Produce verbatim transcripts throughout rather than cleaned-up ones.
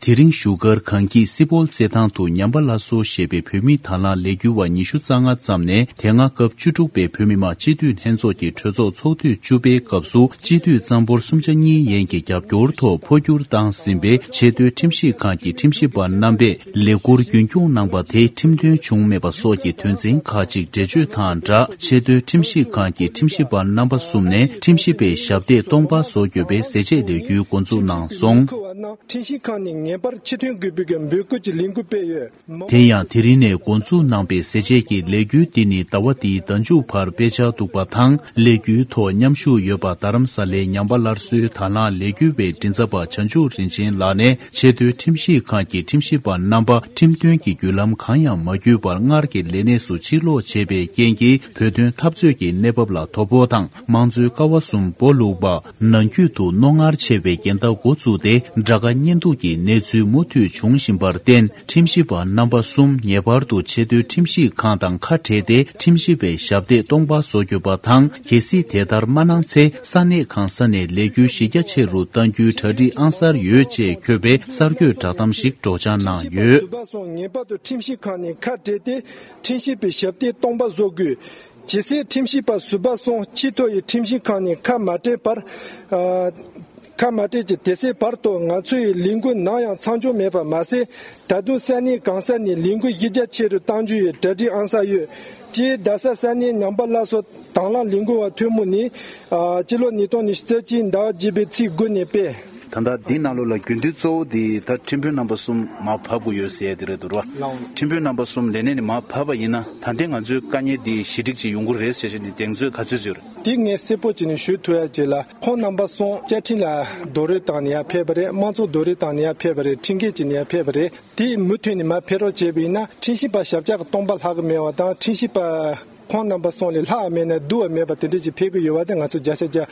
དེ་རིང་བཞུགས་སྒར་གངས་སྐྱིད་སི་པོལ་རྩེད་ཐང་དུ་ཉམས་པ་སླར་གསོ་ཞེས་པའི་བོད་མི་དང་བླངས་ལས་འགུལ་བ་ཉི་ཤུ་རྩ་ལྔ་བརྩམས་ནས། དེ་སྔ་སྐབས་བཅུ་དྲུག་པའི་བོད་མི་མང་སྤྱི་འཐུས་ལྷན་ཚོགས་ཀྱི་གྲོས་ཚོགས་ཚོགས་དུས་བཅུ་པའི་སྐབས་སུ་སྤྱི་འཐུས་གཙང་པོར་སུམ་ཆ་གཉིས་ཡན་གྱི་རྒྱབ་སྐྱོར་ཐོག་འཕོ་འགྱུར་བཏང་ཟིན་པའི་ཆེས་མཐོའི་ཁྲིམས་ཞིབ་ཁང་གི་ཁྲིམས་ཞིབ་པ་རྣམ་པས་ལས་ཁུར་རྒྱུན་སྐྱོང་གནང་པ་དེ་ཁྲིམས་མཐུན་བྱུང་མེད་པ་སོགས་ཀྱི་དོན་ཚན་ཁག་ཅིག་འགྲེལ་བརྗོད་དང་སྦྲགས། ཆེས་མཐོའི་ཁྲིམས་ཞིབ་ཁང་གི་ཁྲིམས་ཞིབ་པ་རྣམ་པ་གསུམ་ནས་ཁྲིམས་ཞིབ་པའི་ཞབས་སྟེགས་སྟོང་པ་བཟོ་དགོས་པའི་ཟས་བཅད་ལས་འགུལ་འགོ་འཛུགས་གནང་སོང་། ཁྲིམས་ཞིབ་ཁང་ནས་ངེས་པར་ཕྱིར་ཐོན་དགོས་པའི་འབོད་སྐུལ་གྱི་ལས་འགུལ་སྤེལ་ཡོད། དེ་ཡང་དེ་རིང་ནས་འགོ་འཛུགས་གནང་པའི་ཟས་བཅད་ཀྱི་ལས་འགུལ་འདི་ནི་ཟླ་བ་འདིའི་ཟླ་མཇུག་བར་སྤེལ་འཆར་འདུག་པ་དང་། ལས་འགུལ་ཐོག་མཉམ་ཞུགས་ཡོད་པ་རྡ་རམ་ས་ལའི་ཉམས་པ་སླར་གསོའི་དང་བླངས་ལས་འགུལ་བའི་མགྲིན་ཚབ་པ་བྱང་ཆུབ་རིན་ཆེན་ལགས་ནས། ཆེས་མཐོའི་ཁྲིམས་ཞིབ་ཁང་གི་ཁྲིམས་ཞིབ་པ་རྣམ་པ་ཁྲིམས་མཐུན་གྱི་བརྒྱུད་ལམ་གང་ཡང་མ་བརྒྱུད་པར་སྔར་གྱི་ལས་གནས་སུ་ཕྱིར་ལོག་བྱས་པའི་རྐྱེན་གྱིས། བོད་དོན་འཐབ་རྩོད་ཀྱི་གནས་བབ་ལ་དོ་ཕོག་དང་། དམངས་གཙོའི་ཀ་བ་གསུམ་སྦོ་ལུག་པ། ནང་རྒྱུད་དུ་རྣོ་ངར་ཆེ་བའི་འགལ་ཟླ་འགོ་བཙུགས་ཏེ། དགྲ་དགའ་གཉེན་སྡུག་གི་གནས་ཚུལ་མུ་མཐུད་འབྱུང་བཞིན་པར་བརྟེན། ཁྲིམས་ཞིབ་པ་རྣམ་པ་གསུམ་ངེས་པར་དུ་ཆེས་མཐོའི་ཁྲིམས་ཞིབ་ཁང་དང་ཁ་བྲལ་ཏེ། ཁྲིམས་ཞིབ་པའི་ཞབས་སྟེགས་སྟོང་པ་བཟོ་དགོས་པ་དང་། གལ་སྲིད་དེ་ལྟར་མ་གནང་ཚེ། ས་གནས་གང་ས་ནས་ལས་འགུལ་གཞི་རྒྱ་ཆེ་རུ་གཏང་རྒྱུའི་གྲ་སྒྲིག་ཨང་གསར་ཡོད་ཅེས་འཁོད་པའི་གསར་འགོད་བསྒྲགས་གཏམ་ཞིག་སྒྲོག་སྦྱང་གནང་ཡོད། ཟུར་པ་སོང་ངེས་པར་དུ་ཁྲིམས་ཞིབ་ཁང་ནས་ཁ་བྲལ་ཏེ། ཁྲིམས་ཞིབ་པའི་ཞབས་སྟེགས་སྟོང་པ་བཟོ་དགོས། ཇི་སྲིད་ཁྲིམས་ཞིབ་པ་ཟུར་པ་སོང་ཆེས་མཐོ་ཡི་ཁྲིམས་ཞིབ་ཁང་ནས་ཁ་མ་བྲལ་བར། ཨ། ཁ་མ་བྲལ་གྱི་དེ་སྲིད་བར་དུ་ང་ཚོ་ཡི་ལས་འགུལ་ནམ་ཡང་མཚམས་འཇོག་མེད་པ་མ་ཟད། ད་དུང་ས་གནས་གང་ས་ནས་ལས་འགུལ་གཞི་རྒྱ་ཆེ་རུ་གཏང་རྒྱུ་ཡི་གྲ་སྒྲིག་ཨང་གསར་ཡོད། སྤྱིར་རྡ་ས་ས་གནས་ཉམས་པ་སླར་གསོ་དང་བླངས་ལས་འགུལ་བ་ཐུན་མོང་ནས། ཨ། སྤྱི་ལོ་ཉིས་སྟོང་ཉི་ཤུ་རྩ་གཅིག་ཟླ་བ་བརྒྱད་པའི་ཚེས་དགུ་ནས་སྤེལ། ད་ལྟ་འདི་ནང་ལོགས་ལ་དགོས་འདུན་གཙོ་བོ་དེ་ད་ཁྲིམས་དཔོན་རྣམ་པ་གསུམ་མར་ཕབ་དགོས་ཡོད་ཟེར་ཡ་དེ་རེད་འདུག་ར། ལགས་འོང་། ཁྲིམས་དཔོན་རྣམ་པ་གསུམ་ལས་གནས་ནས་མར་ཕབ་པ་ཡིན་ན། ད་ལྟའི་ང་ཚོའི་དཀའ་ངལ་འདི་ཞི་འགྲིག་ཅིག་ཡོང་གི་རེད་ཟེར་བྱས་ནས་གདེང་ཚོད་ག་ཚོད་ཡོད་རེད། དེ་ངས་གསལ་པོ་བྱས་ནས་ཞུ་ཐུབ་ཡ་ཅིག་ལ། ཁོང་རྣམ་པ་གསུམ་བཅའ་ཁྲིམས་ལ་རྡོག་རོལ་བཏང་ནས་ཡར་ཕེབས་པ་རེད། དམངས་གཙོ་རྡོག་རོལ་བཏང་ནས་ཡར་ཕེབས་པ་རེད། ཁྲིམས་འགལ་བྱས་ནས་ཡར་ཕེབས་པ་རེད། དེ་མུ་མཐུད་ནས་མར་ཕེབས་རོགས་བྱས་པ་ཡིན་ན། ཁྲིམས་ཞིབ་པ་ཞབས་བཀྱག་སྟོང་པ་ལྷག་གི་མེད་པ་དང་། ཁྲིམས་ཞིབ་པ་ཁོང་རྣམ་པ་གསུམ་ལས་ལྷག་མེད་ན་བསྡུ་བ་མེད་པ་དེ་འདྲ་ཅིག་ཕེབས་ཀྱི་ཡོད་པ་དེ་ང་ཚོ་བརྒྱ་ཆ་བརྒྱ་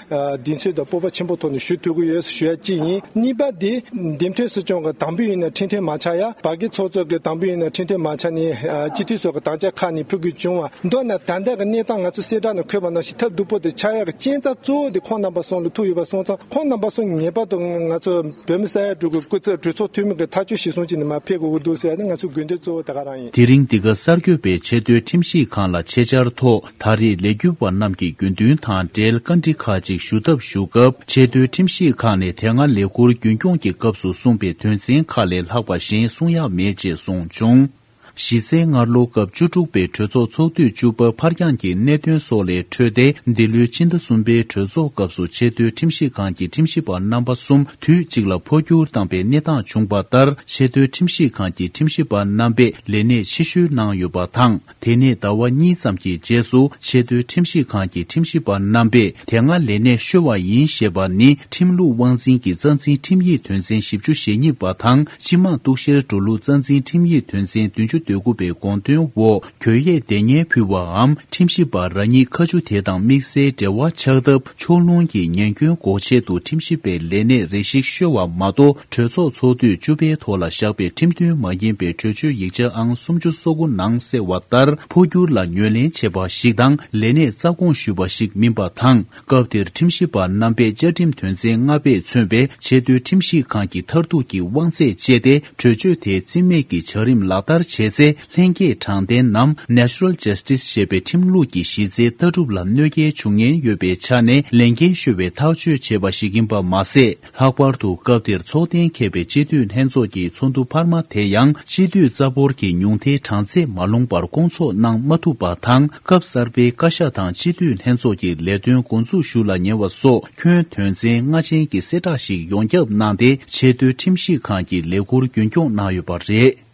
གདེང་ཚོད་དང་སྤོབས་པ་ཆེན་པོ་ཐོག་ནས་ཞུ་ཐུབ་ཀྱི་ཡོད་ཞུ་ཡ་གཅིག་ཡིན། གཉིས་པ་དེ་འདེམས་ཐོན་སྲིད་སྐྱོང་གི་དམ་འབུལ་ཡིན་ན་ཁྲིམས་མཐུན་མ་ཆགས་ཡ། བར་བརྒལ་ཚོགས་གཙོ་གི་དམ་འབུལ་ཡིན་ན་ཁྲིམས་མཐུན་མ་ཆགས་ནས། ཨ། སྤྱི་འཐུས་ཚོ་གི་དམ་བཅའ་ཁག་ནས་ཕུལ་དགོས་བྱུང་བ། མདོར་ན་ད་ལྟ་གི་གནས་སྟངས་ང་ཚོ་གསལ་བསྒྲགས་ནང་འཁོད་པ་ནང་བཞིན་ཐབས་སྡུག་པོ་དེ་ཆགས་ཡག་གི་རྐྱེན་རྩ་གཙོ་བོ་དེ་ཁོང་རྣམ་པ་གསུམ་ལ་ཐུག་ཡོད་པ་སོང་ཙང་། ཁོང་རྣམ་པ་གསུམ་ངེས་པར་དུ་ང་ཚོ་བོད་མི་ས་ཡ་དྲུག་གི་སྐུ་ཚབ་གྲོས་ཚོགས་འཐུས་མི་གི་ཐག་གཅོད་གཞིར་བཟུང་བྱས་ནས་མར་ཕེབས་དགོས་ཀྱི་འདུག་ཟེར་ཡ་ནི་ང་ཚོའི་དགོས་འདུན་གཙོ་བོ་དེ་ག་རང་ཡིན། དེ་རིང་འདི་ག་གསར་འགོད་པས་ཆེས་མཐོའི་ཁྲིམས་ཞིབ་ཁང་ལ་ཆེད་བཅར་ཐོག་ད་རེས་ལས་འགུལ་བ་རྣམས་ཀྱི་དགོས་འདུན་དང་འབྲེལ་བཀའ་འདྲི་ཁག་ཅིག་ཞུ་ཐབས་ཞུ་སྐབས། ཆེས་མཐོའི་ཁྲིམས་ཞིབ་ཁང་ནས་དེ་སྔ་ལས་ཁུར་རྒྱུན་སྐྱོང་གི་སྐབས་སུ་གསུངས་པའི་དོན་ཚན་ཁག་ལས་ལྷག་པ་གཞན་གསུང་ཡག་མེད་ཅེས་གསུངས་བྱུང་། གཞི་རྩའི་སྔར་ལོ་སྐབས་བཅུ་དྲུག་པའི་གྲོས་ཚོགས་ཚོགས་དུས་བཅུ་པ་ཕར་འགྱངས་ཀྱི་གནད་དོན་སོགས་ལས་འཕྲོས་ཏེ། འདི་ལོའི་ཕྱི་ཟླ་གསུམ་པའི་གྲོས་ཚོགས་སྐབས་སུ་ཆེས་མཐོའི་ཁྲིམས་ཞིབ་ཁང་གི་ཁྲིམས་ཞིབ་པ་རྣམ་པ་གསུམ་དུས་གཅིག་ལ་འཕོ་འགྱུར་བཏང་པའི་གནས་སྟངས་བྱུང་བ་ལྟར། ཆེས་མཐོའི་ཁྲིམས་ཞིབ་ཁང་གི་ཁྲིམས་ཞིབ་པ་རྣམ་པས་ལས་གནས་ཕྱིར་བཤོལ་གནང་ཡོད་པ་དང་། དེ་ནས་ཟླ་བ་གཉིས་ཙམ་གྱི་རྗེས་སུ་ཆེས་མཐོའི་ཁྲིམས་ཞིབ་ཁང་གི་ཁྲིམས་ཞིབ་པ་རྣམ་པས་དེ་སྔ་ལས་གནས་བཤོལ་བ་ཡིན་ཞེས་པ་ནི། ཁྲིམས་ལུགས་དབང་འཛིན་གྱི་རྩ་འཛིན་ཁྲིམས་ཡིག་དོན་ཚན་བཞི་བཅུ་ཞེ་གཉིས་པ་དང་། སྤྱི་དམངས་གཏུག་བཤེར་འགྲོ་ལུགས་རྩ་འཛིན་ཁྲིམས་ཡིག་དོན་ཚན་བདུན་ཅུ་དོན་དགུ་པའི་དགོངས་དོན་འོག་གྱོད་ཡས་དེ་ཉལ་ཕུལ་བའམ། ཁྲིམས་ཞིབ་པ་རང་ཉིད་ཁ་མཆུ་དེ་དང་དམིགས་བསལ་འབྲེལ་བ་ཆགས་སྟབས། ཕྱོགས་ལྷུང་གི་ཉེན་སྐྱོན་འགོག་ཆེད་དུ་ཁྲིམས་ཞིབ་པའི་ལས་གནས་རེ་ཞིག་བཤོལ་བ་མ་གཏོགས། གྲོས་ཚོགས་ཚོགས་དུས་བཅུ་པའི་ཐོག་ལ་བཞག་པའི་ཁྲིམས་མཐུན་མ་ཡིན་པའི་གྲོས་ཆོད་ཡིག་ཆ་ཨང་སུམ་ཅུ་སོ་དགུ་ནང་གསལ་བ་ལྟར། འཕོ་འགྱུར་ལ་ངོས་ལེན་བྱས་པ་ཞིག་དང་། ལས་གནས་རྩ་དགོངས་ཞུས་པ་ཞིག་མིན་པ་དང་། སྐབས་དེར་ཁྲིམས་ཞིབ་པ་རྣམ་པས་བཅའ་ཁྲིམས་དོན་ཚན་ལྔ་པས་མཚོན་པའི་ཆེས་མཐོའི་ཁྲིམས་ཞིབ་ཁང་གི་མཐར་ཐུག་གི་དབང་ཚད་སྤྱད་དེ། གྲོས་ཆོད་དེའི་རྩིས་མེད་ཀྱི་བྱ་རིམ་ལག་བསྟར་བྱས་ཚེ། ལྷན་སྐྱེས་དྲང་བདེན་ནམ་Natural Justice ཞེས་པའི་ཁྲིམས་ལུགས་ཀྱི་གཞི་རྩའི་ལྟ་གྲུབ་ལ་གནོད་སྐྱེལ་འབྱུང་ཉེན་ཡོད་པའི་ཆ་ནས། ལས་འགན་ཞུ་བའི་ཐག་གཅོད་བྱས་པ་ཞིག་ཡིན་པ་མ་ཟད། ལྷག་པར་དུ་སྐབས་དེར་ཚོགས་གཏན་འཁེལ་བའི་སྤྱི་འཐུས་ལྷན་ཚོགས་ཀྱི་ཚོགས་འདུ་འཕར་མ་དེ་ཡང་སྤྱི་འཐུས་རྩ་འབོར་གྱི་ཉུང་མཐའི་གྲངས་ཚད་མ་ལོངས་པར་སྐོང་ཚོགས་གནང་མ་ཐུབ་པ་དང་། སྐབས་གསར་པའི་བཀའ་ཤག་དང་སྤྱི་འཐུས་ལྷན་ཚོགས་ཀྱི་ལས་དོན་འགོ་འཛུགས་ཞུ་ལ་ཉེ་བ་སོགས་ཁྱོན་དོན་ཚན་ལྔ་ཅན་གྱི་གསལ་བསྒྲགས་ཤིག་ཡོངས་ཁྱབ་གནང་སྟེ། ཆེས་མཐོའི་ཁྲིམས་ཞིབ་ཁང་གི་ལས་ཁུར་རྒྱུན་སྐྱོང་གནང་ཡོད་པ་རེད།